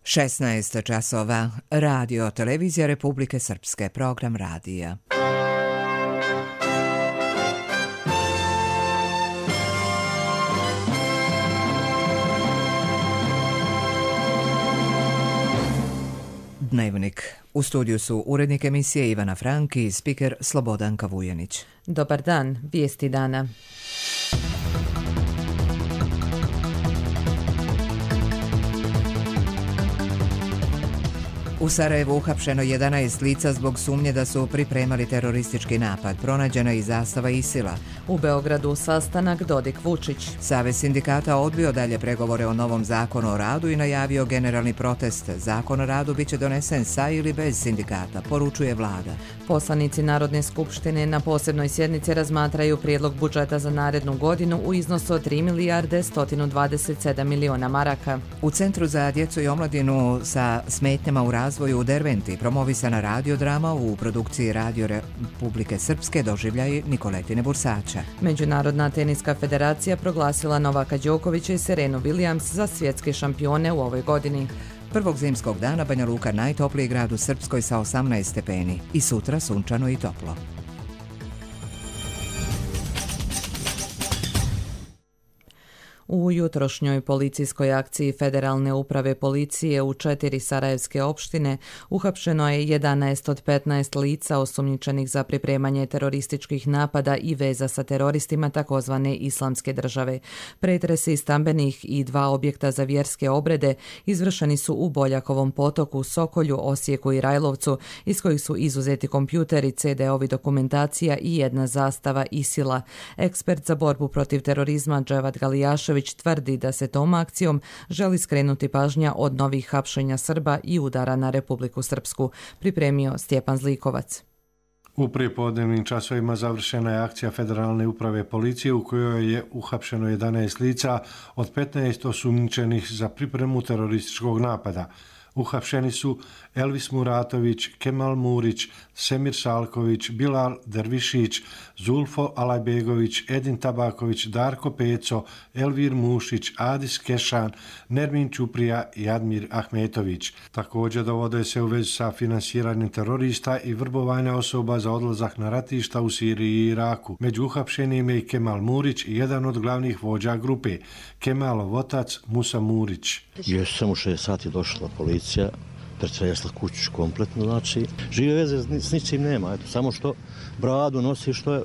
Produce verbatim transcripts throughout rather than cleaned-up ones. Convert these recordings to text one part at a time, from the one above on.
šesnaest časova. Radio Televizija Republike Srpske. Program radija. Dnevnik. U studiju su urednik emisije Ivana Frank i spiker Slobodanka Vujanić. Dobar dan, vijesti dana. U Sarajevu uhapšeno jedanaest lica zbog sumnje da su pripremali teroristički napad. Pronađena i zastava ISIL-a. U Beogradu sastanak Dodik-Vučić. Savez sindikata odbio dalje pregovore o novom zakonu o radu i najavio generalni protest. Zakon o radu biće donesen sa ili bez sindikata, poručuje vlada. Poslanici Narodne skupštine na posebnoj sjednici razmatraju prijedlog budžeta za narednu godinu u iznosu od tri milijarde sto dvadeset sedam miliona maraka. U Centru za djecu i omladinu sa smetnjama u razvoju u Derventi promovisana radiodrama u produkciji Radio Republike Srpske doživljaj Nikoletine Bursača. Međunarodna teniska federacija proglasila Novaka Đokovića i Serenu Williams za svjetske šampione u ovoj godini. Prvog zimskog dana Banja Luka najtopliji grad u Srpskoj sa osamnaest stepeni i sutra sunčano i toplo. U jutrošnjoj policijskoj akciji Federalne uprave policije u četiri sarajevske opštine uhapšeno je jedanaest od petnaest lica osumnjičenih za pripremanje terorističkih napada i veza sa teroristima takozvane Islamske države. Pretresi stambenih i dva objekta za vjerske obrede izvršeni su u Boljakovom potoku, Sokolju, Osijeku i Rajlovcu, iz kojih su izuzeti kompjuteri, ce de ovi, dokumentacija i jedna zastava ISIL-a. Ekspert za borbu protiv terorizma Dževad Galijašević tvrdi da se tom akcijom želi skrenuti pažnja od novih hapšenja Srba i udara na Republiku Srpsku, pripremio Stjepan Zlikovac. U prijepodnevnim časovima završena je akcija Federalne uprave policije u kojoj je uhapšeno jedanaest lica od petnaest osumnjičenih za pripremu terorističkog napada. Uhapšeni su Elvis Muratović, Kemal Murić, Semir Salković, Bilal Dervišić, Zulfo Alajbegović, Edin Tabaković, Darko Peco, Elvir Mušić, Adis Kešan, Nermin Ćuprija i Admir Ahmetović. Također dovode se u vezu sa finansiranjem terorista i vrbovanja osoba za odlazak na ratišta u Siriji i Iraku. Među uhapšenim je i Kemal Murić i jedan od glavnih vođa grupe, Kemalov otac Musa Murić. Još samo šest sati došla policija, pretresla kuću kompletno, znači žive veze s ničim nema, eto, samo što bradu nosi, što je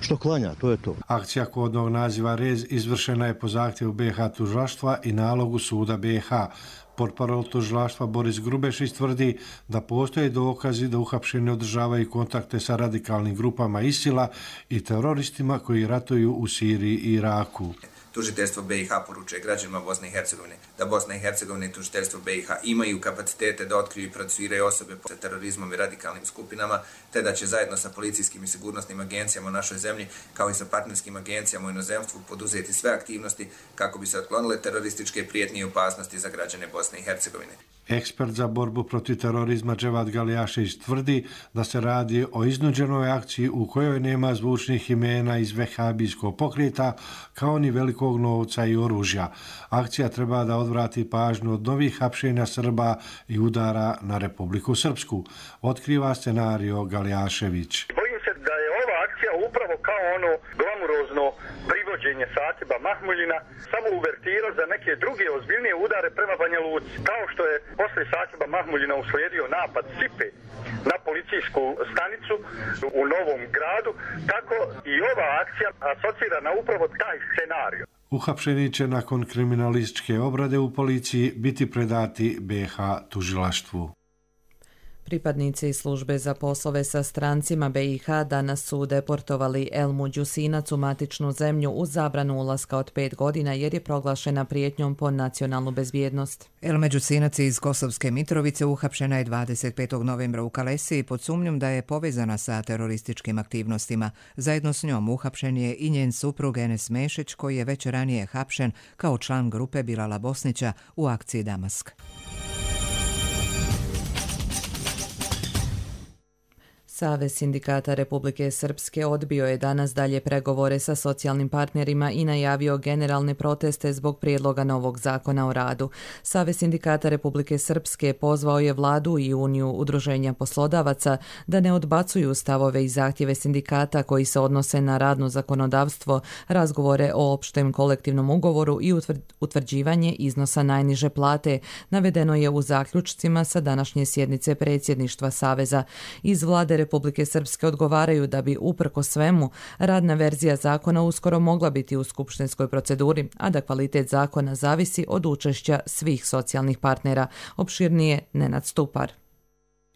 što klanja, to je to. Akcija kodnog naziva Rez izvršena je po zahtjevu be ha tužilaštva i nalogu suda be ha. Portparol tužilaštva Boris Grubešić tvrdi da postoje dokazi da uhapšeni održavaju kontakte sa radikalnim grupama ISIL-a i teroristima koji ratuju u Siriji i Iraku. Tužiteljstvo be i ha poručuje građanima Bosne i Hercegovine da Bosna i Hercegovina i tužiteljstvo be i ha imaju kapacitete da otkriju i procesuiraju osobe sa terorizmom i radikalnim skupinama, te da će zajedno sa policijskim i sigurnosnim agencijama u našoj zemlji, kao i sa partnerskim agencijama u inozemstvu, poduzeti sve aktivnosti kako bi se otklonile terorističke prijetnje i opasnosti za građane Bosne i Hercegovine. Ekspert za borbu protiv terorizma Dževad Galijašević tvrdi da se radi o iznuđenoj akciji u kojoj nema zvučnih imena iz vehabijskog pokreta, kao ni velikog novca i oružja. Akcija treba da odvrati pažnju od novih hapšenja Srba i udara na Republiku Srpsku. Otkriva scenario Galijašević. Bojim se da je ova akcija upravo kao ono glamurozno privođenje Satiba Mahmuljina, samo uvertira za neke druge ozbiljnije udare prema Banja Luci. Kao što je posle Satiba Mahmuljina uslijedio napad Sipe na policijsku stanicu u Novom Gradu, tako i ova akcija asocira na upravo taj scenarij. Uhapšeni će nakon kriminalističke obrade u policiji biti predati be ha tužilaštvu. Pripadnici službe za poslove sa strancima be i ha danas su deportovali Elmu Đusinac u matičnu zemlju uz zabranu ulaska od pet godina jer je proglašena prijetnjom po nacionalnu bezbjednost. Elma Đusinac iz Kosovske Mitrovice uhapšena je dvadeset petog novembra u Kalesiji pod sumnjom da je povezana sa terorističkim aktivnostima. Zajedno s njom uhapšen je i njen suprug Enes Mešić, koji je već ranije hapšen kao član grupe Bilala Bosnića u akciji Damask. Savez sindikata Republike Srpske odbio je danas dalje pregovore sa socijalnim partnerima i najavio generalne proteste zbog prijedloga novog zakona o radu. Savez sindikata Republike Srpske pozvao je vladu i Uniju udruženja poslodavaca da ne odbacuju stavove i zahtjeve sindikata koji se odnose na radno zakonodavstvo, razgovore o opštem kolektivnom ugovoru i utvrđivanje iznosa najniže plate, navedeno je u zaključcima sa današnje sjednice predsjedništva Saveza. Iz vlade Republike Srpske odgovaraju da bi uprko svemu radna verzija zakona uskoro mogla biti u skupštinskoj proceduri, a da kvalitet zakona zavisi od učešća svih socijalnih partnera. Opširnije Nenad Stupar.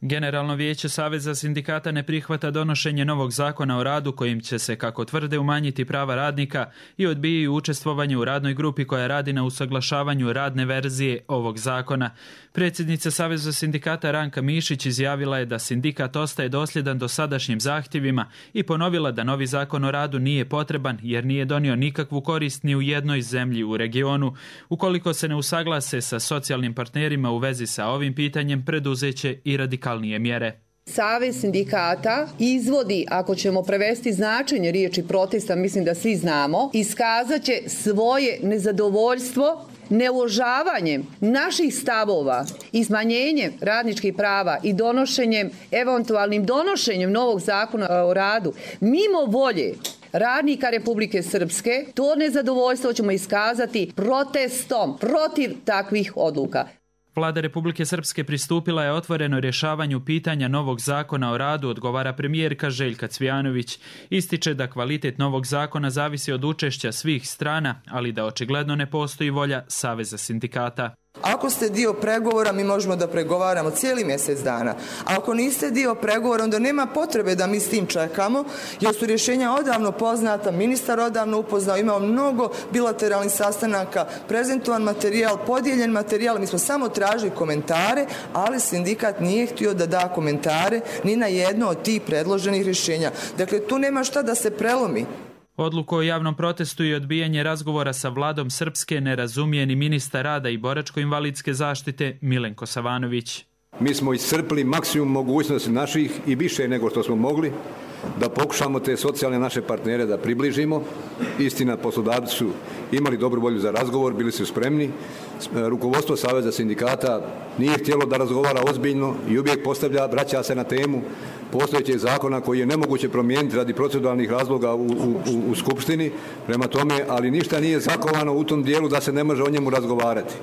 Generalno vijeće Saveza sindikata ne prihvata donošenje novog zakona o radu kojim će se, kako tvrde, umanjiti prava radnika i odbijaju učestvovanje u radnoj grupi koja radi na usaglašavanju radne verzije ovog zakona. Predsjednica Saveza sindikata Ranka Mišić izjavila je da sindikat ostaje dosljedan dosadašnjim zahtjevima i ponovila da novi zakon o radu nije potreban jer nije donio nikakvu korist ni u jednoj zemlji u regionu. Ukoliko se ne usaglase sa socijalnim partnerima u vezi sa ovim pitanjem, preduzeće i radikalnije mjere. Savez sindikata izvodi, ako ćemo prevesti značenje riječi protesta, mislim da svi znamo, iskazat će svoje nezadovoljstvo neuvažavanjem naših stavova i smanjenjem radničkih prava i donošenjem, eventualnim donošenjem novog zakona o radu, mimo volje radnika Republike Srpske, to nezadovoljstvo ćemo iskazati protestom protiv takvih odluka. Vlada Republike Srpske pristupila je otvoreno rješavanju pitanja novog zakona o radu, odgovara premijerka Željka Cvijanović. Ističe da kvalitet novog zakona zavisi od učešća svih strana, ali da očigledno ne postoji volja Saveza sindikata. Ako ste dio pregovora, mi možemo da pregovaramo cijeli mjesec dana. A ako niste dio pregovora, onda nema potrebe da mi s tim čekamo, jer su rješenja odavno poznata, ministar odavno upoznao, imao mnogo bilateralnih sastanaka, prezentovan materijal, podijeljen materijal, mi smo samo tražili komentare, ali sindikat nije htio da da komentare ni na jedno od tih predloženih rješenja. Dakle, tu nema šta da se prelomi. Odluku o javnom protestu i odbijanje razgovora sa vladom Srpske ne razumije ni ministar rada i boračko-invalidske zaštite Milenko Savanović. Mi smo iscrpili maksimum mogućnosti naših i više nego što smo mogli da pokušamo te socijalne naše partnere da približimo. Istina, poslodavci su imali dobru volju za razgovor, bili su spremni. Rukovodstvo Saveza sindikata nije htjelo da razgovara ozbiljno i uvijek postavlja, vraća se na temu postojećeg zakona koji je nemoguće promijeniti radi proceduralnih razloga u, u, u Skupštini. Prema tome, ali ništa nije zakovano u tom dijelu da se ne može o njemu razgovarati.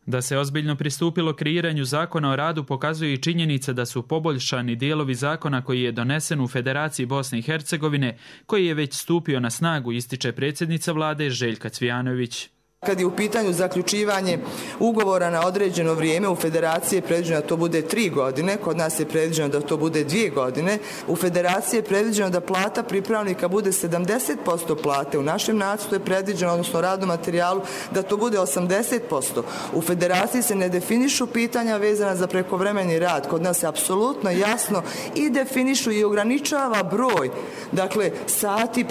Da se ozbiljno pristupilo kreiranju zakona o radu pokazuje i činjenica da su poboljšani dijelovi zakona koji je donesen u Federaciji Bosne i Hercegovine, koji je već stupio na snagu, ističe predsjednica vlade Željka Cvijanović. Kad je u pitanju zaključivanje ugovora na određeno vrijeme, u Federaciji je predviđeno da to bude tri godine, kod nas je predviđeno da to bude dvije godine. U Federaciji je predviđeno da plata pripravnika bude sedamdeset posto plate. U našem nacrtu je predviđeno, odnosno radnom materijalu, da to bude osamdeset posto. U Federaciji se ne definišu pitanja vezana za prekovremeni rad. Kod nas je apsolutno jasno i definišu i ograničava broj, dakle, sati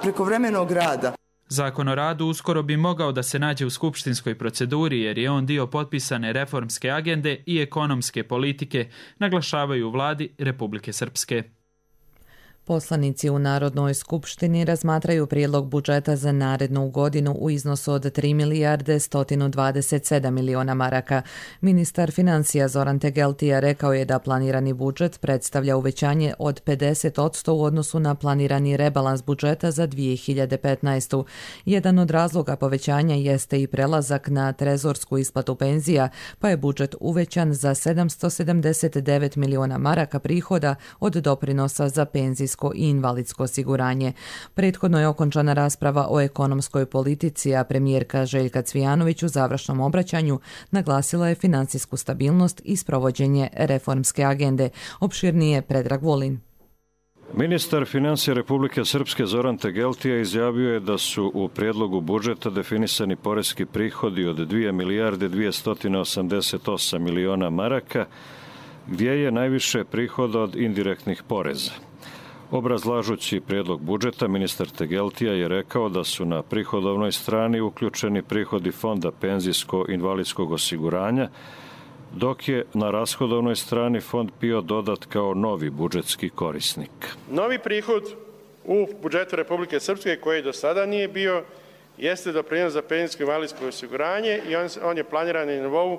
prekovremenog rada. Zakon o radu uskoro bi mogao da se nađe u skupštinskoj proceduri jer je on dio potpisane reformske agende i ekonomske politike, naglašavaju u vladi Republike Srpske. Poslanici u Narodnoj skupštini razmatraju prijedlog budžeta za narednu godinu u iznosu od tri milijarde sto dvadeset sedam miliona maraka. Ministar financija Zoran Tegeltija rekao je da planirani budžet predstavlja uvećanje od pedeset posto u odnosu na planirani rebalans budžeta za dvije hiljade petnaestu. Jedan od razloga povećanja jeste i prelazak na trezorsku isplatu penzija, pa je budžet uvećan za sedamsto sedamdeset devet miliona maraka prihoda od doprinosa za penzijsko i invalidsko osiguranje. Prethodno je okončana rasprava o ekonomskoj politici, a premijerka Željka Cvijanović u završnom obraćanju naglasila je financijsku stabilnost i sprovođenje reformske agende. Opširnije Predrag Vulin. Ministar financija Republike Srpske Zoran Tegeltija izjavio je da su u prijedlogu budžeta definisani poreski prihodi od dvije milijarde dvjesto osamdeset osam miliona maraka, gdje je najviše prihoda od indirektnih poreza. Obrazlažući prijedlog budžeta, ministar Tegeltija je rekao da su na prihodovnoj strani uključeni prihodi Fonda penzijsko-invalidskog osiguranja, dok je na rashodovnoj strani Fond P I O dodat kao novi budžetski korisnik. Novi prihod u budžetu Republike Srpske, koji do sada nije bio, jeste doprinos za penzijsko i invalidsko osiguranje i on, on je planiran na nivou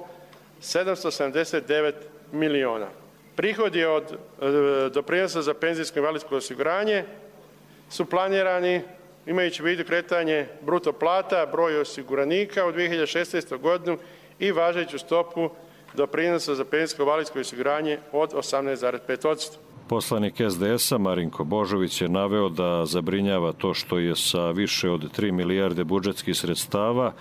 sedamsto sedamdeset devet miliona. Prihodi od e, doprinosa za penzijsko i invalidsko osiguranje su planirani imajući u vidu kretanje bruto plata, broj osiguranika u dvije hiljade šesnaestoj. godinu i važeću stopu doprinosa za penzijsko i invalidsko osiguranje od osamnaest zarez pet posto. Poslanik S D S-a Marinko Božović je naveo da zabrinjava to što je sa više od tri milijarde budžetskih sredstava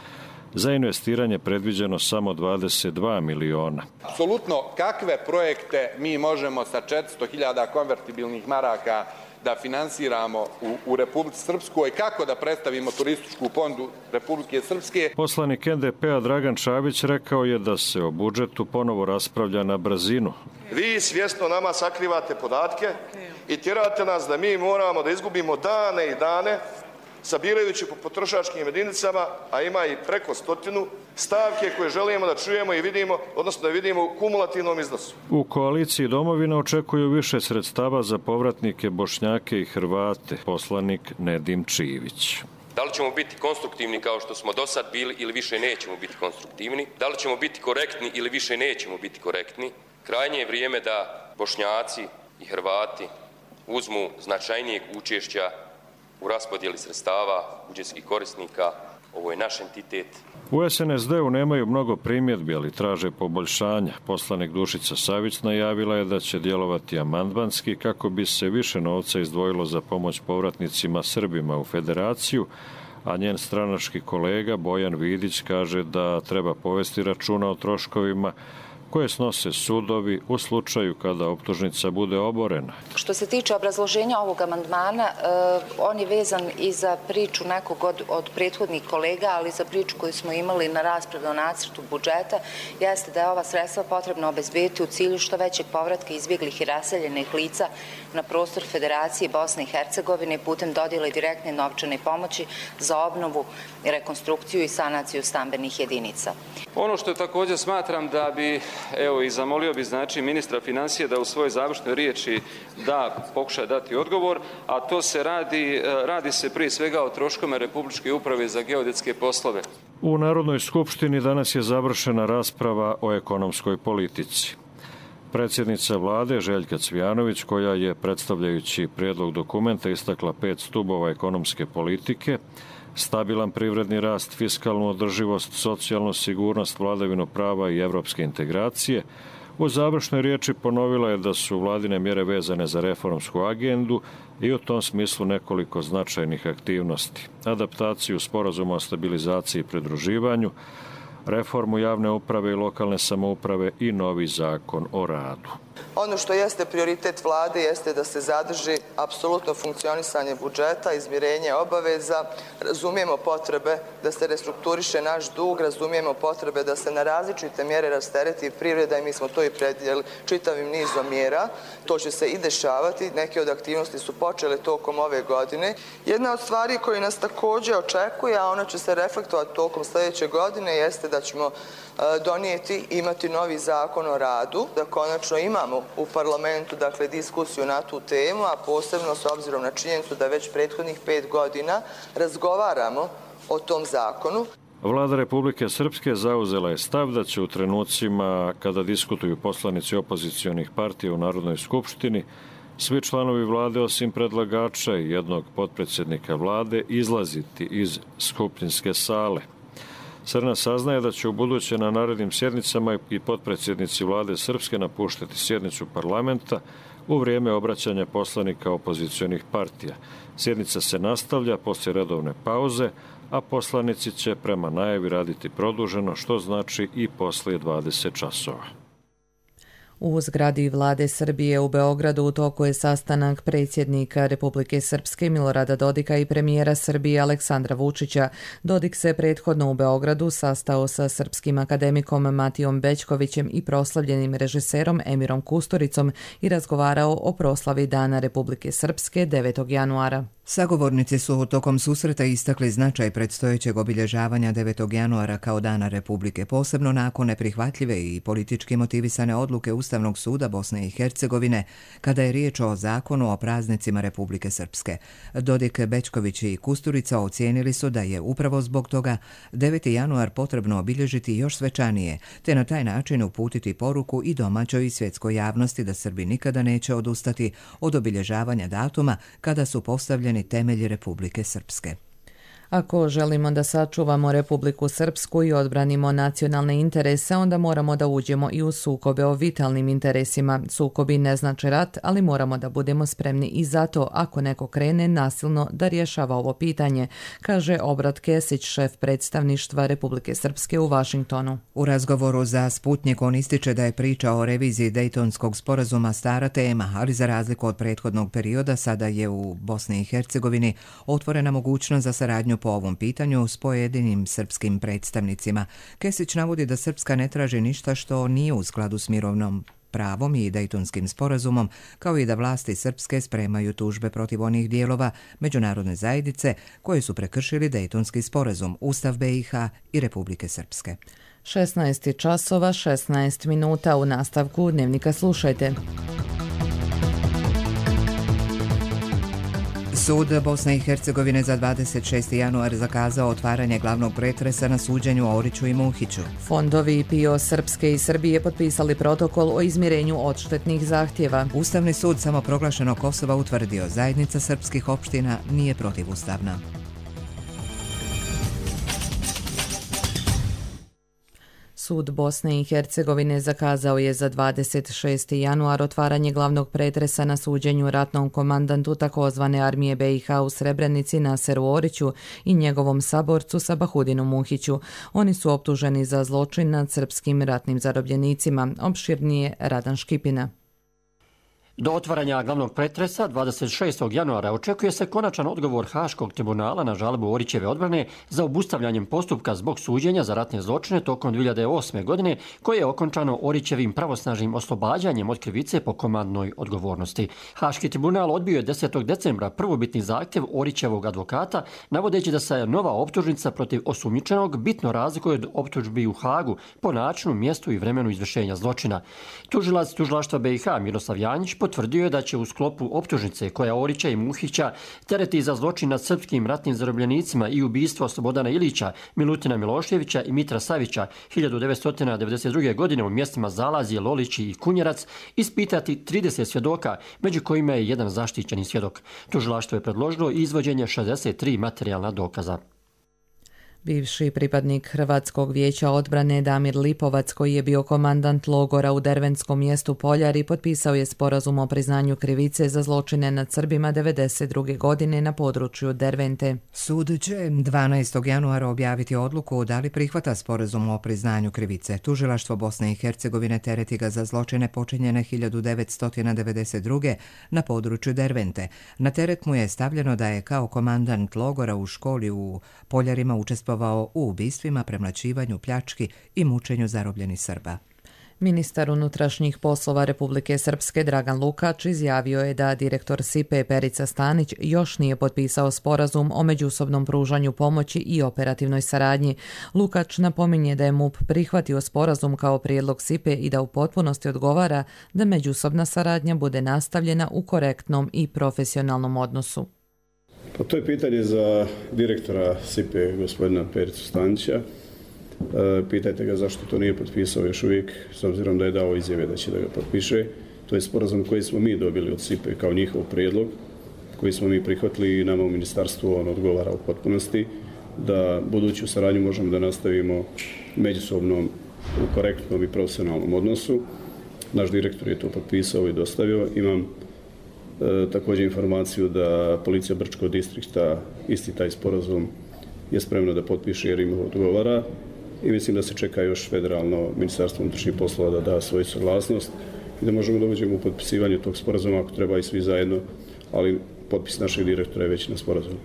za investiranje predviđeno samo dvadeset dva miliona. Apsolutno kakve projekte mi možemo sa četiristo hiljada konvertibilnih maraka da finansiramo u, u Republici Srpskoj, kako da predstavimo turističku ponudu Republike Srpske. Poslanik N D P-a Dragan Čabić rekao je da se o budžetu ponovo raspravlja na brzinu. Vi svjesno nama sakrivate podatke i tjerate nas da mi moramo da izgubimo dane i dane sabirajući po potrošačkim jedinicama, a ima i preko stotinu stavke koje želimo da čujemo i vidimo, odnosno da vidimo u kumulativnom iznosu. U koaliciji Domovina očekuju više sredstava za povratnike Bošnjake i Hrvate, poslanik Nedim Čivić. Da li ćemo biti konstruktivni kao što smo do sad bili ili više nećemo biti konstruktivni? Da li ćemo biti korektni ili više nećemo biti korektni? Krajnje je vrijeme da Bošnjaci i Hrvati uzmu značajnijeg učešća u raspodjeli sredstava budžetskih korisnika. Ovo je naš entitet. U S N S D-u nemaju mnogo primjedbi, ali traže poboljšanja. Poslanik Dušica Savić najavila je da će djelovati amandmanski kako bi se više novca izdvojilo za pomoć povratnicima Srbima u federaciju, a njen stranački kolega Bojan Vidić kaže da treba povesti računa o troškovima koje snose sudovi u slučaju kada optužnica bude oborena. Što se tiče obrazloženja ovog amandmana, on je vezan i za priču nekog od, od prethodnih kolega, ali za priču koju smo imali na raspravi o nacrtu budžeta, jeste da je ova sredstva potrebno obezbediti u cilju što većeg povratka izbjeglih i raseljenih lica na prostor Federacije Bosne i Hercegovine putem dodjele direktne novčane pomoći za obnovu, rekonstrukciju i sanaciju stambenih jedinica. Ono što također smatram da bi, evo i zamolio bi znači ministra financija da u svojoj završnoj riječi da pokuša dati odgovor, a to se radi, radi se prije svega o troškovima Republičke uprave za geodetske poslove. U Narodnoj skupštini danas je završena rasprava o ekonomskoj politici. Predsjednica vlade Željka Cvijanović, koja je predstavljajući prijedlog dokumenta istakla pet stubova ekonomske politike, stabilan privredni rast, fiskalnu održivost, socijalnu sigurnost, vladavinu prava i evropske integracije, u završnoj riječi ponovila je da su vladine mjere vezane za reformsku agendu i u tom smislu nekoliko značajnih aktivnosti. Adaptaciju sporazuma o stabilizaciji i pridruživanju, reformu javne uprave i lokalne samouprave i novi zakon o radu. Ono što jeste prioritet vlade jeste da se zadrži apsolutno funkcionisanje budžeta, izmirenje obaveza, razumijemo potrebe da se restrukturiše naš dug, razumijemo potrebe da se na različite mjere rastereti privreda i mi smo to i predvidjeli čitavim nizom mjera. To će se i dešavati, neke od aktivnosti su počele tokom ove godine. Jedna od stvari koje nas također očekuje, a ona će se reflektovati tokom sljedeće godine, jeste da ćemo donijeti, imati novi zakon o radu, da konačno imamo u parlamentu dakle, diskusiju na tu temu, a posebno s obzirom na činjenicu da već prethodnih pet godina razgovaramo o tom zakonu. Vlada Republike Srpske zauzela je stav da će u trenucima kada diskutuju poslanici opozicionih partija u Narodnoj skupštini svi članovi vlade osim predlagača i jednog potpredsjednika vlade izlaziti iz skupštinske sale. Crna saznaje da će u buduće na narednim sjednicama i potpredsjednici vlade Srpske napuštati sjednicu parlamenta u vrijeme obraćanja poslanika opozicionih partija. Sjednica se nastavlja poslije redovne pauze, a poslanici će prema najavi raditi produženo, što znači i poslije dvadeset časova. U zgradi vlade Srbije u Beogradu u toku je sastanak predsjednika Republike Srpske Milorada Dodika i premijera Srbije Aleksandra Vučića. Dodik se prethodno u Beogradu sastao sa srpskim akademikom Matijom Bećkovićem i proslavljenim režiserom Emirom Kusturicom i razgovarao o proslavi Dana Republike Srpske devetog januara. Sagovornici su tokom susreta istakli značaj predstojećeg obilježavanja devetog januara kao Dana Republike, posebno nakon neprihvatljive i politički motivisane odluke Ustavnog suda Bosne i Hercegovine kada je riječ o zakonu o praznicima Republike Srpske. Dodik, Bečković i Kusturica ocijenili su da je upravo zbog toga deveti januar potrebno obilježiti još svečanije, te na taj način uputiti poruku i domaćoj i svjetskoj javnosti da Srbi nikada neće odustati od obilježavanja datuma kada su postavljeni temelji Republike Srpske. Ako želimo da sačuvamo Republiku Srpsku i odbranimo nacionalne interese, onda moramo da uđemo i u sukobe o vitalnim interesima. Sukobi ne znači rat, ali moramo da budemo spremni i zato ako neko krene nasilno da rješava ovo pitanje, kaže Obrat Kesić, šef predstavništva Republike Srpske u Vašingtonu. U razgovoru za Sputnik on ističe da je priča o reviziji Dejtonskog sporazuma stara tema, ali za razliku od prethodnog perioda sada je u Bosni i Hercegovini otvorena mogućnost za saradnju po ovom pitanju s pojedinim srpskim predstavnicima. Kesić navodi da Srpska ne traži ništa što nije u skladu s mirovnom pravom i Dejtonskim sporazumom, kao i da vlasti srpske spremaju tužbe protiv onih dijelova međunarodne zajednice koje su prekršili Dejtonski sporazum, Ustav B i H i Republike Srpske. šesnaest časova, šesnaest minuta. U nastavku Dnevnika slušajte. Sud Bosne i Hercegovine za dvadeset šesti januar zakazao otvaranje glavnog pretresa na suđenju Oriću i Muhiću. Fondovi P I O Srpske i Srbije potpisali protokol o izmirenju odštetnih zahtjeva. Ustavni sud samoproglašenog Kosova utvrdio zajednica srpskih opština nije protivustavna. Sud Bosne i Hercegovine zakazao je za dvadeset šesti januar otvaranje glavnog pretresa na suđenju ratnom komandantu takozvane armije B i H u Srebrenici Naseru Oriću i njegovom saborcu Sabahudinu Muhiću. Oni su optuženi za zločin nad srpskim ratnim zarobljenicima. Opširnije Radan Škipina. Do otvaranja glavnog pretresa dvadeset šestog januara očekuje se konačan odgovor Haškog tribunala na žalbu Orićeve odbrane za obustavljanjem postupka zbog suđenja za ratne zločine tokom dvije hiljade osme. godine, koje je okončano Orićevim pravosnažnim oslobađanjem od krivice po komandnoj odgovornosti. Haški tribunal odbio je desetog decembra prvobitni zahtjev Orićevog advokata, navodeći da se nova optužnica protiv osumnjičenog bitno razlikuje od optužbi u Hagu po načinu, mjestu i vremenu izvršenja zločina. Tužilac tužilaštva B i H Miroslav Janjić potvrdio je da će u sklopu optužnice koja Orića i Muhića tereti za zločin nad srpskim ratnim zarobljenicima i ubistvo Slobodana Ilića, Milutina Miloševića i Mitra Savića hiljadu devetsto devedeset druge. godine u mjestima Zalazije, Lolići i Kunjerac ispitati trideset svjedoka, među kojima je jedan zaštićeni svjedok. Tužilaštvo je predložilo izvođenje šezdeset tri materijalna dokaza. Bivši pripadnik Hrvatskog vijeća odbrane Damir Lipovac, koji je bio komandant logora u derventskom mjestu Poljari, potpisao je sporazum o priznanju krivice za zločine nad Srbima devedeset druge. godine na području Dervente. Sud će dvanaestog januara objaviti odluku da li prihvata sporazum o priznanju krivice. Tužilaštvo Bosne i Hercegovine tereti ga za zločine počinjene hiljadu devetsto devedeset druge. na području Dervente. Na teret mu je stavljeno da je kao komandant logora u školi u Poljarima učestvovao u ubistvima, premlaćivanju, pljački i mučenju zarobljenih Srba. Ministar unutrašnjih poslova Republike Srpske Dragan Lukač izjavio je da direktor S I P E Perica Stanić još nije potpisao sporazum o međusobnom pružanju pomoći i operativnoj saradnji. Lukač napominje da je M U P prihvatio sporazum kao prijedlog S I P E i da u potpunosti odgovara da međusobna saradnja bude nastavljena u korektnom i profesionalnom odnosu. Pa to je pitanje za direktora S I P E, gospodina Pericu Stanića. E, pitajte ga zašto to nije potpisao još uvijek, s obzirom da je dao izjave da će da ga potpiše. To je sporazum koji smo mi dobili od S I P E kao njihov prijedlog, koji smo mi prihvatili i nama u ministarstvu on odgovara u potpunosti, da buduću saradnju možemo da nastavimo međusobno u korektnom i profesionalnom odnosu. Naš direktor je to potpisao i dostavio. Imam E, također informaciju da policija Brčkog distrikta isti taj sporazum je spremna da potpiše jer im odgovara i mislim da se čeka još federalno ministarstvo unutrašnjih poslova da da svoju saglasnost i da možemo da uđemo u potpisivanje tog sporazuma ako treba i svi zajedno, ali potpis našeg direktora je već na sporazumu.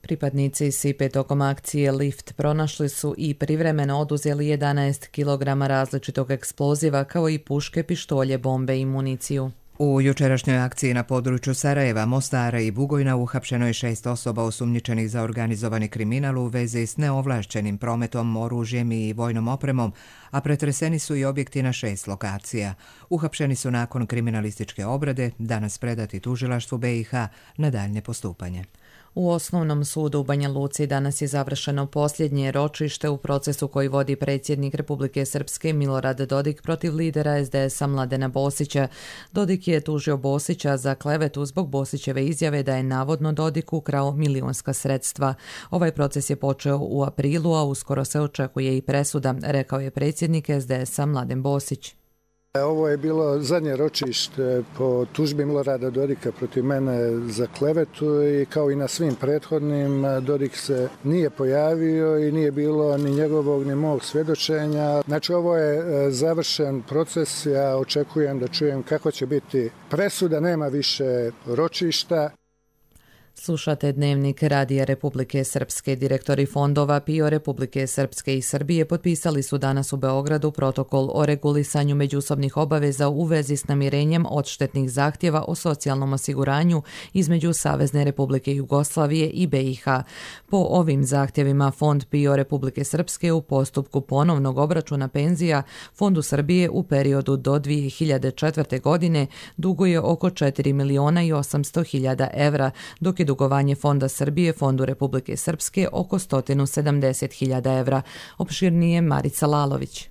Pripadnici S I P E tokom akcije Lift pronašli su i privremeno oduzeli jedanaest kilograma različitog eksploziva kao i puške, pištolje, bombe i municiju. U jučerašnjoj akciji na području Sarajeva, Mostara i Bugojna uhapšeno je šest osoba osumnjičenih za organizovani kriminal u vezi s neovlašćenim prometom, oružjem i vojnom opremom, a pretreseni su i objekti na šest lokacija. Uhapšeni su nakon kriminalističke obrade, danas predati tužilaštvu B i H na daljnje postupanje. U Osnovnom sudu u Banja Luci danas je završeno posljednje ročište u procesu koji vodi predsjednik Republike Srpske Milorad Dodik protiv lidera es de esa Mladena Bosića. Dodik je tužio Bosića za klevetu zbog Bosićeve izjave da je navodno Dodik ukrao milionska sredstva. Ovaj proces je počeo u aprilu, a uskoro se očekuje i presuda, rekao je predsjednik es de esa Mladen Bosić. Ovo je bilo zadnje ročište po tužbi Milorada Dodika protiv mene za klevetu i kao i na svim prethodnim Dodik se nije pojavio i nije bilo ni njegovog ni mog svjedočenja. Znači ovo je završen proces, ja očekujem da čujem kako će biti presuda, nema više ročišta. Slušate Dnevnik Radija Republike Srpske. Direktori fondova P I O Republike Srpske i Srbije potpisali su danas u Beogradu protokol o regulisanju međusobnih obaveza u vezi s namirenjem odštetnih zahtjeva o socijalnom osiguranju između Savezne Republike Jugoslavije i B i H. Po ovim zahtjevima Fond P I O Republike Srpske u postupku ponovnog obračuna penzija Fondu Srbije u periodu do dvije hiljade četvrte. godine duguje oko četiri miliona i osamsto hiljada evra, dok je dugovanje Fonda Srbije Fondu Republike Srpske oko sto sedamdeset hiljada evra. Opširnije Marica Lalović.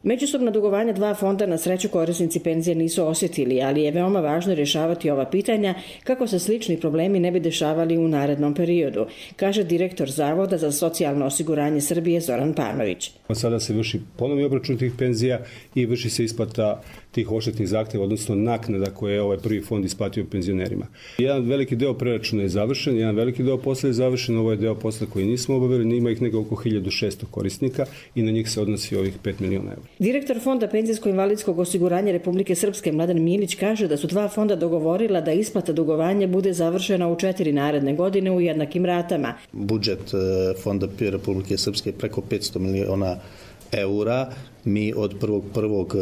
Međusobna dugovanja dva fonda na sreću korisnici penzije nisu osjetili, ali je veoma važno rješavati ova pitanja kako se slični problemi ne bi dešavali u narednom periodu, kaže direktor Zavoda za socijalno osiguranje Srbije Zoran Panović. Sada se vrši ponovni obračun tih penzija i vrši se isplata tih odštetnih zahtjeva, odnosno naknada koje je ovaj prvi fond isplatio penzionerima. Jedan veliki deo preračuna je završen, jedan veliki deo posla je završen, ovo je deo posla koji nismo obavili, ima ih nego oko hiljadu šesto korisnika i na njih se odnosi ovih pet miliona evra. Direktor Fonda penzijsko-invalidskog osiguranja Republike Srpske Mladen Milić kaže da su dva fonda dogovorila da isplata dugovanja bude završena u četiri naredne godine u jednakim ratama. Budžet Fonda P I O Republike Srpske je preko petsto miliona eura. Mi od prvog prvog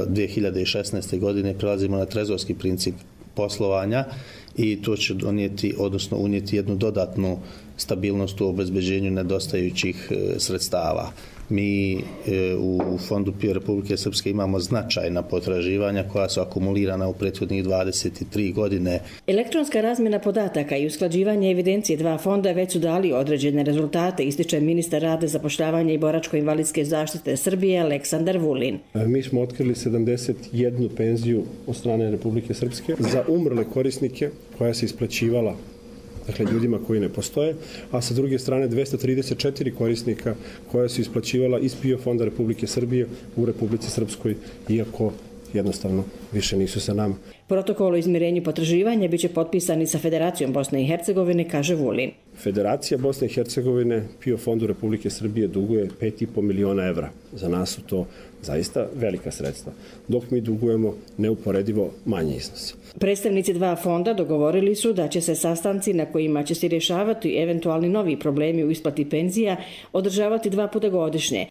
dvije hiljade šesnaeste. godine prelazimo na trezorski princip poslovanja i to će donijeti, odnosno unijeti jednu dodatnu stabilnost u obezbeđenju nedostajućih sredstava. Mi u Fondu P I O Republike Srpske imamo značajna potraživanja koja su akumulirana u prethodnih dvadeset tri godine. Elektronska razmjena podataka i usklađivanje evidencije dva fonda već su dali određene rezultate, ističe ministar rada, zapošljavanja i boračko-invalidske zaštite Srbije Aleksandar Vulin. Mi smo otkrili sedamdeset jednu penziju od strane Republike Srpske za umrle korisnike koja se isplaćivala, dakle ljudima koji ne postoje, a sa druge strane dvjesto trideset četiri korisnika koja su isplaćivala iz P I O Fonda Republike Srbije u Republici Srpskoj, iako jednostavno više nisu sa nama. Protokol o izmirenju potraživanja biće potpisan i sa Federacijom Bosne i Hercegovine, kaže Vulin. Federacija Bosne i Hercegovine P I O Fondu Republike Srbije duguje pet i po miliona evra. Za nas su to zaista velika sredstva, dok mi dugujemo neuporedivo manje iznose. Predstavnici dva fonda dogovorili su da će se sastanci na kojima će se rješavati eventualni novi problemi u isplati penzija održavati dva puta godišnje.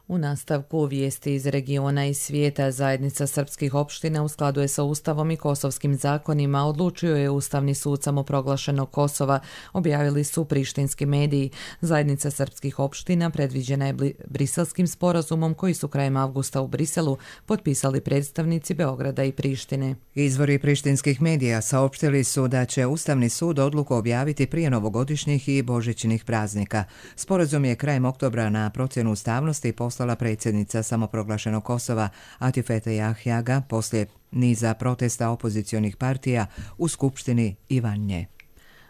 U nastavku vijesti iz regiona i svijeta, zajednica srpskih opština u skladu je sa Ustavom i kosovskim zakonima, odlučio je Ustavni sud samoproglašenog Kosova, objavili su prištinski mediji. Zajednica srpskih opština predviđena je briselskim sporazumom koji su krajem avgusta u Briselu potpisali predstavnici Beograda i Prištine. Izvori prištinskih medija saopštili su da će Ustavni sud odluku objaviti prije novogodišnjih i božićnih praznika. Sporazum je krajem oktobra na procjenu ustavnosti poslala predsjednica samoproglašenog Kosova Atifete Jahjaga poslije niza protesta opozicionih partija u Skupštini i van nje.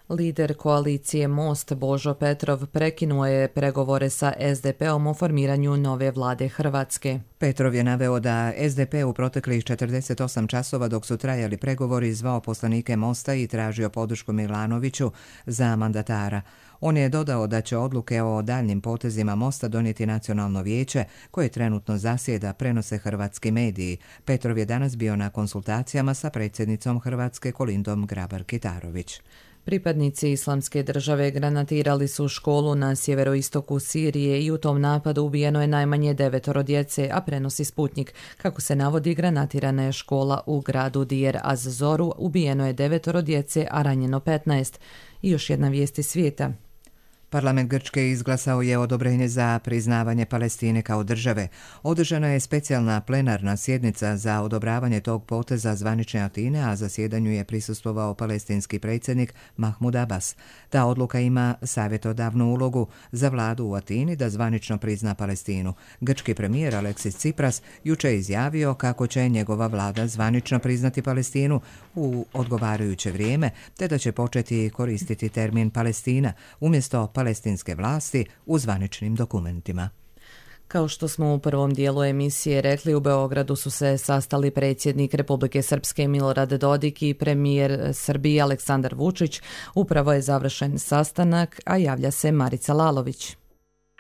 Lider koalicije Most Božo Petrov prekinuo je pregovore sa es de pe-om o formiranju nove vlade Hrvatske. Petrov je naveo da es de pe u proteklih četrdeset osam časova dok su trajali pregovori zvao poslanike Mosta i tražio podršku Milanoviću za mandatara. On je dodao da će odluke o daljnim potezima Mosta donijeti Nacionalno vijeće koje trenutno zasjeda, prenose hrvatski mediji. Petrov je danas bio na konsultacijama sa predsjednicom Hrvatske Kolindom Grabar-Kitarović. Pripadnici Islamske države granatirali su školu na sjeveroistoku Sirije i u tom napadu ubijeno je najmanje devetoro djece, a prenosi Sputnik. Kako se navodi, granatirana je škola u gradu Deir az-Zoru, ubijeno je devetoro djece, a ranjeno petnaest. I još jedna vijest iz svijeta. Parlament Grčke izglasao je odobrenje za priznavanje Palestine kao države. Održana je specijalna plenarna sjednica za odobravanje tog poteza zvanične Atine, a zasjedanju je prisustvovao palestinski predsjednik Mahmud Abbas. Ta odluka ima savjetodavnu ulogu za vladu u Atini da zvanično prizna Palestinu. Grčki premijer Aleksis Tsipras juče je izjavio kako će njegova vlada zvanično priznati Palestinu u odgovarajuće vrijeme, te da će početi koristiti termin Palestina umjesto palestinske vlasti u zvaničnim dokumentima. Kao što smo u prvom dijelu emisije rekli, u Beogradu su se sastali predsjednik Republike Srpske Milorad Dodik i premijer Srbije Aleksandar Vučić. Upravo je završen sastanak, a javlja se Marica Lalović.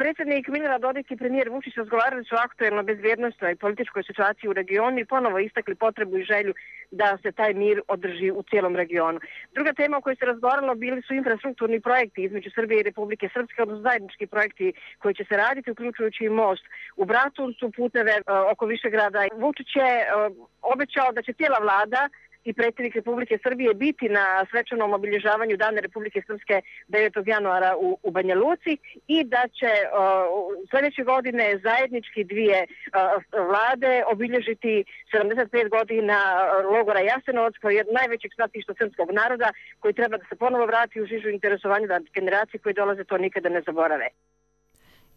Predsjednik Milorad Dodik i premijer Vučić razgovarali su o aktuelno bezbjednosnoj i političkoj situaciji u regionu i ponovo istakli potrebu i želju da se taj mir održi u cijelom regionu. Druga tema o kojoj se razgovaralo bili su infrastrukturni projekti između Srbije i Republike Srpske, odnosno zajednički projekti koji će se raditi, uključujući i most u Bratuncu, puteve oko Višegrada. Vučić je obećao da će cijela vlada i predsjednik Republike Srbije biti na svečanom obilježavanju Dana Republike Srpske devetog januara u, u Banja Luci i da će uh, sljedeće godine zajednički dvije uh, vlade obilježiti sedamdeset pet godina logora Jasenovac, koji je najvećeg stratišta srpskog naroda, koji treba da se ponovo vrati u žižu interesovanja da generacije koje dolaze to nikada ne zaborave.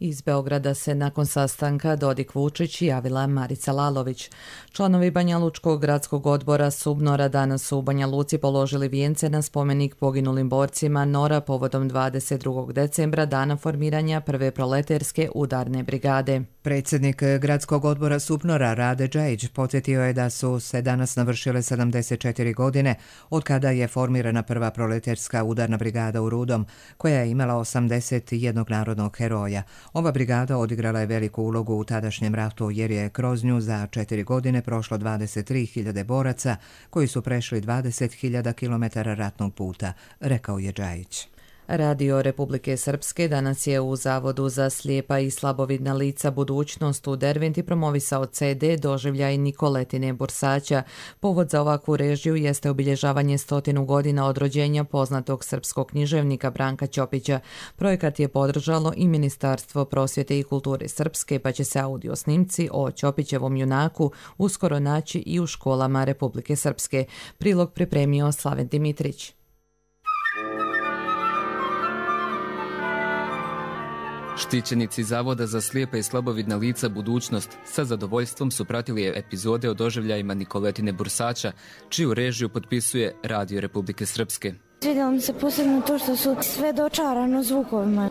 Iz Beograda se nakon sastanka Dodik-Vučić javila Marica Lalović. Članovi Banjalučkog gradskog odbora Subnora danas su u Banja Luci položili vijence na spomenik poginulim borcima Nora povodom dvadeset drugog decembra, dana formiranja prve proleterske udarne brigade. Predsjednik gradskog odbora Subnora Rade Džajić podsjetio je da su se danas navršile sedamdeset četiri godine od kada je formirana prva proleterska udarna brigada u Rudom, koja je imala osamdeset jednog narodnog heroja. Ova brigada odigrala je veliku ulogu u tadašnjem ratu jer je kroz nju za četiri godine prošlo dvadeset tri hiljade boraca koji su prešli dvadeset hiljada kilometara ratnog puta, rekao je Džajić. Radio Republike Srpske danas je u Zavodu za slijepa i slabovidna lica Budućnost u Derventi promovisao ce de Doživljaj Nikoletine Bursaća. Povod za ovakvu režiju jeste obilježavanje stotinu godina od rođenja poznatog srpskog književnika Branka Ćopića. Projekat je podržalo i Ministarstvo prosvjete i kulture Srpske, pa će se audio snimci o Ćopićevom junaku uskoro naći i u školama Republike Srpske. Prilog pripremio Slaven Dimitrić. Štićenici Zavoda za slijepa i slabovidna lica Budućnost sa zadovoljstvom su pratili epizode o doživljajima Nikoletine Bursaća, čiju režiju potpisuje Radio Republike Srpske. Svidjelo mi se posebno to što su sve dočarano zvukovima.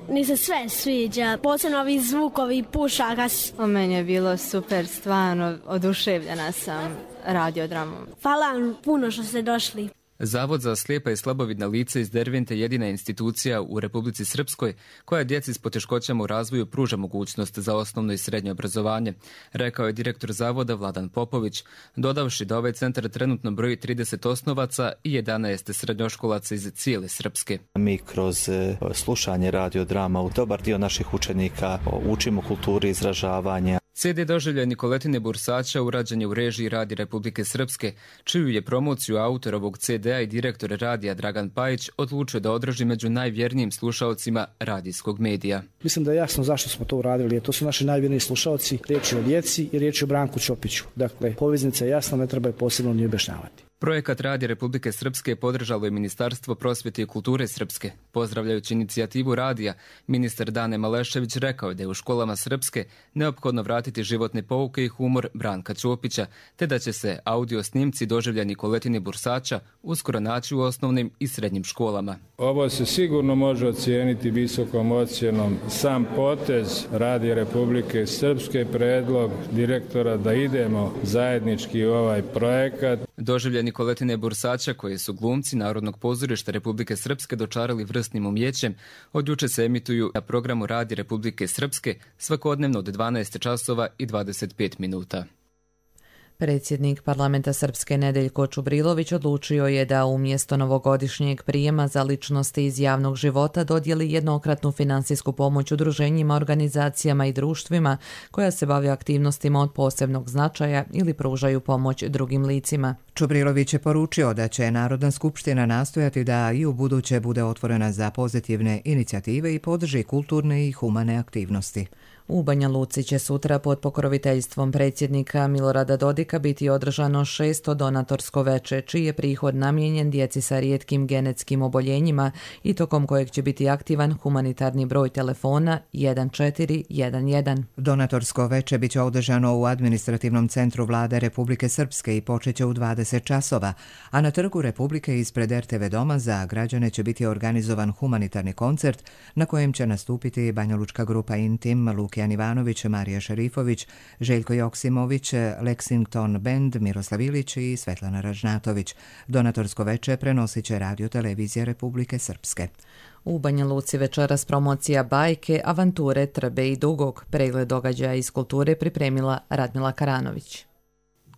Meni se sve sviđa, posebno ovi zvukovi pušaka. O meni je bilo super, stvarno oduševljena sam radiodramom. Hvala vam puno što ste došli. Zavod za slijepa i slabovidna lica iz Dervente jedina institucija u Republici Srpskoj koja djeci s poteškoćama u razvoju pruža mogućnost za osnovno i srednje obrazovanje, rekao je direktor zavoda Vladan Popović, dodavši da ovaj centar trenutno broji trideset osnovaca i jedanaest srednjoškolaca iz cijele Srpske. Mi kroz slušanje radiodrama u dobar dio naših učenika učimo kulturi izražavanja. ce de Doživljaj Nikoletine Bursaća urađen je u režiji Radija Republike Srpske, čiju je promociju autor ovog ce de a i direktor radija Dragan Pajić odlučio da održi među najvjernijim slušaocima radijskog medija. Mislim da je jasno zašto smo to uradili, jer to su naši najvjerniji slušaoci, riječ je o djeci i riječ je o Branku Ćopiću. Dakle, poveznica je jasna, ne treba je posebno ni objašnjavati. Projekat Radija Republike Srpske podržalo je Ministarstvo prosvjete i kulture Srpske. Pozdravljajući inicijativu radija, ministar Dane Malešević rekao je da je u školama Srpske neophodno vratiti životne pouke i humor Branka Ćopića, te da će se audio snimci doživlja Nikoletine Bursaća uskoro naći u osnovnim i srednjim školama. Ovo se sigurno može ocijeniti visokom ocjenom. Sam potez Radija Republike Srpske, predlog direktora da idemo zajednički u ovaj projekat. Doživlja Nikoletine Bursaća, koje su glumci Narodnog pozorišta Republike Srpske dočarali vrsnim umjećem, od juče se emituju na programu Radija Republike Srpske svakodnevno od dvanaest časova i dvadeset pet minuta. Predsjednik parlamenta Srpske Nedeljko Čubrilović odlučio je da umjesto novogodišnjeg prijema za ličnosti iz javnog života dodijeli jednokratnu finansijsku pomoć udruženjima, organizacijama i društvima koja se bave aktivnostima od posebnog značaja ili pružaju pomoć drugim licima. Čubrilović je poručio da će Narodna skupština nastojati da i u buduće bude otvorena za pozitivne inicijative i podrži kulturne i humane aktivnosti. U Banja Luci će sutra pod pokroviteljstvom predsjednika Milorada Dodika biti održano šesto donatorsko veče, čiji je prihod namijenjen djeci sa rijetkim genetskim oboljenjima i tokom kojeg će biti aktivan humanitarni broj telefona jedan četiri jedan jedan. Donatorsko veče biće održano u administrativnom centru Vlade Republike Srpske i počeće u dvadeset časova, a na Trgu Republike ispred er te ve doma za građane će biti organizovan humanitarni koncert na kojem će nastupiti banjalučka grupa Intim, Lukijan Ivanović, Marija Šerifović, Željko Joksimović, Lexington Band, Miroslav Ilić i Svetlana Ražnatović. Donatorsko veče prenosit će Radio Televizija Republike Srpske. U Banja Luci večeras promocija bajke, avanture, Trbe i Dugog. Pregled događaja iz kulture pripremila Radmila Karanović.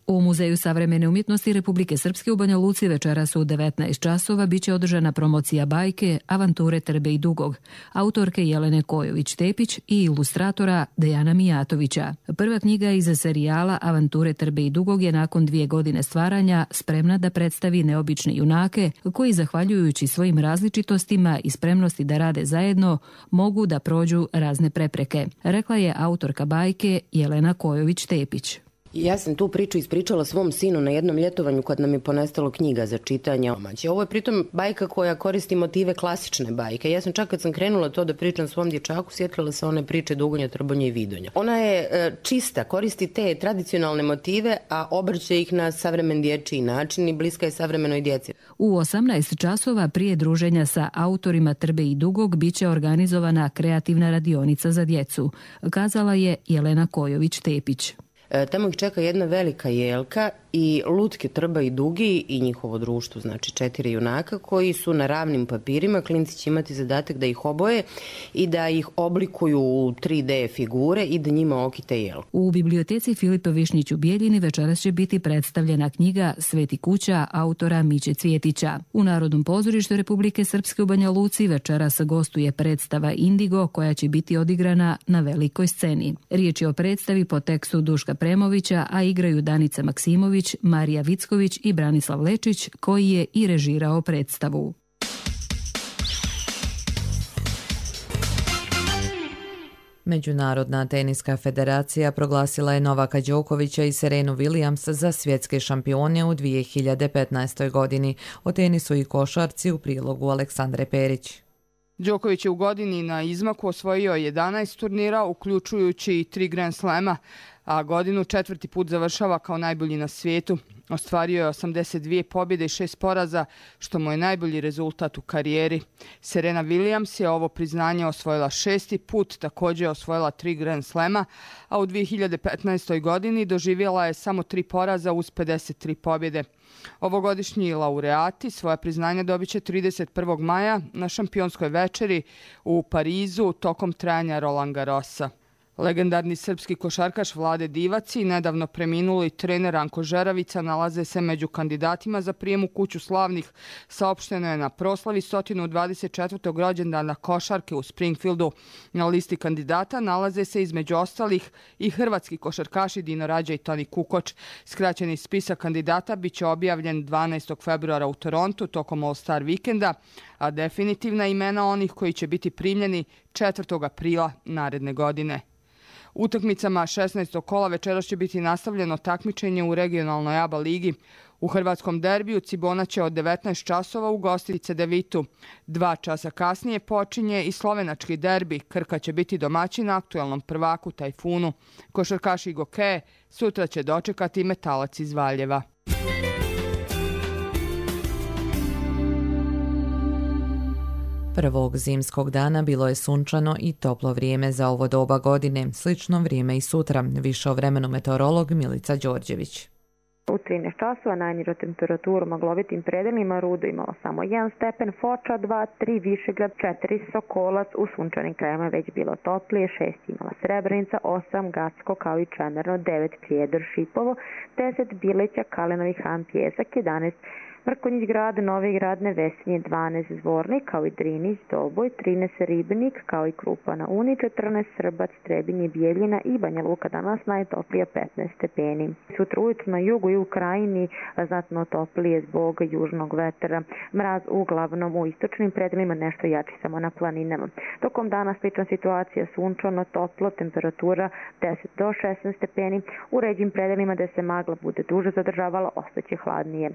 U Muzeju savremene umjetnosti Republike Srpske u Banja Luci večeras u devetnaest časova biće održana promocija bajke Avanture Trbe i Dugog, autorke Jelene Kojović-Tepić i ilustratora Dejana Mijatovića. Prva knjiga iz serijala Avanture Trbe i Dugog je nakon dvije godine stvaranja spremna da predstavi neobične junake koji, zahvaljujući svojim različitostima i spremnosti da rade zajedno, mogu da prođu razne prepreke, rekla je autorka bajke Jelena Kojović-Tepić. Ja sam tu priču ispričala svom sinu na jednom ljetovanju kad nam je ponestalo knjiga za čitanje. Ovo je pritom bajka koja koristi motive klasične bajke. Ja sam čak kad sam krenula to da pričam svom dječaku, sjetila se one priče Dugonja, Trbonja i Vidonja. Ona je e, čista, koristi te tradicionalne motive, a obrće ih na savremen dječji način i bliska je savremenoj djeci. U osamnaest časova prije druženja sa autorima Trbe i Dugog biće organizovana kreativna radionica za djecu, kazala je Jelena Kojović-Tepić. Tamo ih čeka jedna velika jelka i lutke Trba i Dugi i njihovo društvo, znači četiri junaka koji su na ravnim papirima. Klinci će imati zadatak da ih oboje i da ih oblikuju u tri de figure i da njima okite jelku. U biblioteci Filipa Višnjić u Bijeljini večeras će biti predstavljena knjiga Sveti kuća autora Miće Cvjetića. U Narodnom pozorištu Republike Srpske u Banja Luci večeras gostuje predstava Indigo koja će biti odigrana na velikoj sceni. Riječ je o predstavi po tekstu Duška Premovića, a igraju Danica Maksimović, Marija Vicković i Branislav Lečić, koji je i režirao predstavu. Međunarodna teniska federacija proglasila je Novaka Đokovića i Serenu Williams za svjetske šampione u dvije hiljade petnaestoj godini. O tenisu i košarci u prilogu Aleksandre Perić. Đoković je u godini na izmaku osvojio jedanaest turnira, uključujući i tri Grand Slema, a godinu četvrti put završava kao najbolji na svijetu. Ostvario je osamdeset dvije pobjede i šest poraza, što mu je najbolji rezultat u karijeri. Serena Williams je ovo priznanje osvojila šesti put, također je osvojila tri Grand Slema, a u dvije hiljade petnaestoj godini doživjela je samo tri poraza uz pedeset tri pobjede. Ovogodišnji laureati svoja priznanja dobit će trideset prvog maja na šampionskoj večeri u Parizu tokom trajanja Roland Garrosa. Legendarni srpski košarkaš Vlade Divac i nedavno preminuli trener Anko Žeravica nalaze se među kandidatima za prijem u kuću slavnih. Saopšteno je na proslavi sto dvadeset četvrtog rođendana košarke u Springfieldu. Na listi kandidata nalaze se između ostalih i hrvatski košarkaši Dino Rađa i Toni Kukoč. Skraćeni spisak kandidata bit će objavljen dvanaestog februara u Torontu tokom All-Star vikenda, a definitivna imena onih koji će biti primljeni četvrtog aprila naredne godine. Utakmicama šesnaestog kola večeras će biti nastavljeno takmičenje u regionalnoj A B A ligi. U hrvatskom derbiju Cibona će od devetnaest časova ugostiti Cedevitu. Dva časa kasnije počinje i slovenački derbi. Krka će biti domaćin aktualnom prvaku Tajfunu. Košarkaši Gokeje sutra će dočekati Metalac iz Valjeva. Prvog zimskog dana bilo je sunčano i toplo vrijeme za ovo doba godine. Slično vrijeme i sutra. Više o vremenu meteorolog Milica Đorđević. U trinaest časova najniža temperatura u maglovitim predelima Rudo imala samo jedan stepen, Foča dva, tri Višegrad, četiri Sokolac, u sunčanim krajevima već bilo toplije, šest imala Srebrenica, osam Gacko kao i Čemerno, devet Prijedor Šipovo, deset Bileća, Kalinovi Han, Pjesak, jedanaest Mrkonjić grad, Novi grad, Nevesinje, dvanaest Zvornik kao i Drinić, Doboj, trinaest Ribnik kao i Krupa na Uni, četrnaest Srbac, Trebinje, Bijeljina i Banja Luka, danas najtoplija petnaest stepeni. Sutra ujutro na jugu i u krajini znatno toplije zbog južnog vetra. Mraz uglavnom u istočnim predelima, nešto jači samo na planinama. Tokom dana slična situacija, sunčano, toplo, temperatura deset do šesnaest stepeni. U ređim predelima gde se magla bude duže zadržavala, ostaće hladnije.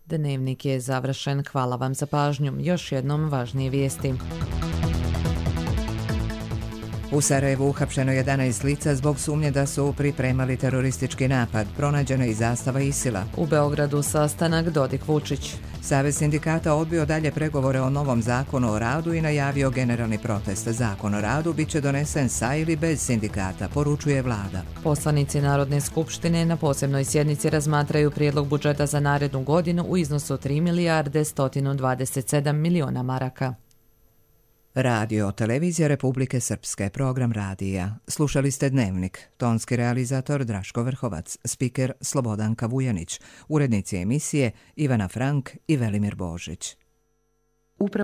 Dnevnik je završen. Hvala vam za pažnju. Još jednom važnije vijesti. U Sarajevu uhapšeno jedanaest lica zbog sumnje da su pripremali teroristički napad. Pronađena i zastava Isila. U Beogradu sastanak Dodik-Vučić. Savez sindikata odbio dalje pregovore o novom zakonu o radu i najavio generalni protest. Zakon o radu bit će donesen sa ili bez sindikata, poručuje vlada. Poslanici Narodne skupštine na posebnoj sjednici razmatraju prijedlog budžeta za narednu godinu u iznosu tri milijarde sto dvadeset sedam miliona maraka. Radio, televizija Republike Srpske, program radija. Slušali ste Dnevnik. Tonski realizator Draško Vrhovac, spiker Slobodanka Vujanić, urednici emisije Ivana Frank i Velimir Božić.